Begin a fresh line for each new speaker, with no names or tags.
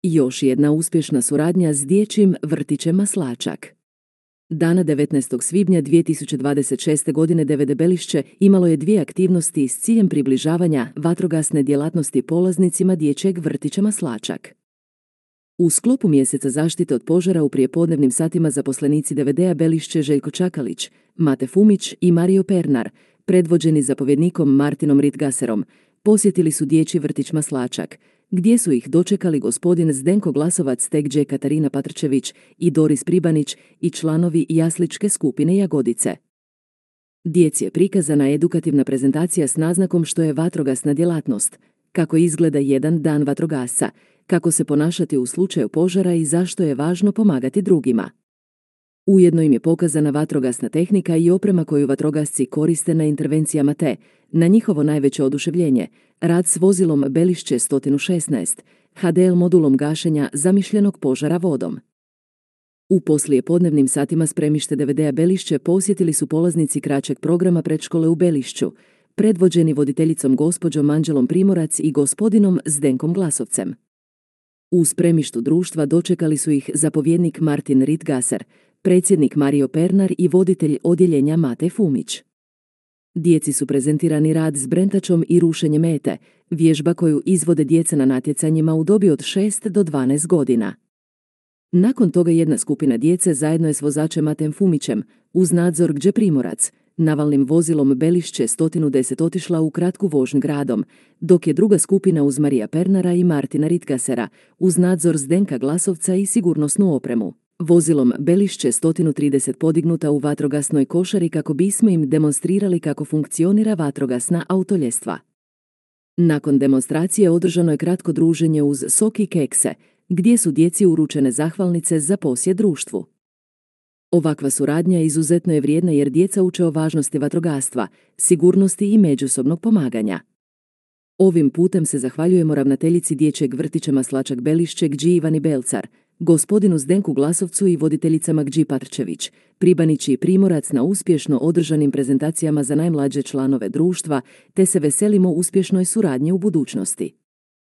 Još jedna uspješna suradnja s dječjim vrtićem Maslačak. Dana 19. svibnja 2026. godine DVD Belišće imalo je 2 aktivnosti s ciljem približavanja vatrogasne djelatnosti polaznicima dječjeg vrtića Maslačak. U sklopu mjeseca zaštite od požara u prijepodnevnim satima zaposlenici DVD-a Belišće Željko Čakalić, Mate Fumić i Mario Pernar, predvođeni zapovjednikom Martinom Ritgaserom, posjetili su dječji vrtić Maslačak, gdje su ih dočekali gospodin Zdenko Glasovac, Tekđe Katarina Patrčević i Doris Pribanić i članovi jasličke skupine Jagodice. Djeci je prikazana edukativna prezentacija s naznakom što je vatrogasna djelatnost, kako izgleda jedan dan vatrogasca, kako se ponašati u slučaju požara i zašto je važno pomagati drugima. Ujedno im je pokazana vatrogasna tehnika i oprema koju vatrogasci koriste na intervencijama te, na njihovo najveće oduševljenje, rad s vozilom Belišće 116, HDL modulom gašenja zamišljenog požara vodom. U poslijepodnevnim satima spremište DVD-a Belišće posjetili su polaznici kraćeg programa predškole u Belišću, predvođeni voditeljicom gospođom Anđelom Primorac i gospodinom Zdenkom Glasovcem. U spremištu društva dočekali su ih zapovjednik Martin Ritgaser, predsjednik Mario Pernar i voditelj odjeljenja Mate Fumić. Djeci su prezentirani rad s brentačom i rušenje mete, vježba koju izvode djeca na natjecanjima u dobi od 6 do 12 godina. Nakon toga jedna skupina djece zajedno je s vozačem Matem Fumićem, uz nadzor Gđe Primorac, navalnim vozilom Belišće 110 otišla u kratku vožnju gradom, dok je druga skupina uz Marija Pernara i Martina Ritgasera, uz nadzor Zdenka Glasovca i sigurnosnu opremu, vozilom Belišće 130 podignuta u vatrogasnoj košari kako bismo im demonstrirali kako funkcionira vatrogasna autoljestva. Nakon demonstracije održano je kratko druženje uz sok i kekse, gdje su djeci uručene zahvalnice za posjet društvu. Ovakva suradnja izuzetno je vrijedna jer djeca uče o važnosti vatrogastva, sigurnosti i međusobnog pomaganja. Ovim putem se zahvaljujemo ravnateljici dječjeg vrtića Maslačak Belišće Gđi Ivani Belcar, gospodinu Zdenku Glasovcu i voditeljicama Gđi Patrčević, Pribanić i Primorac na uspješno održanim prezentacijama za najmlađe članove društva, te se veselimo uspješnoj suradnji u budućnosti.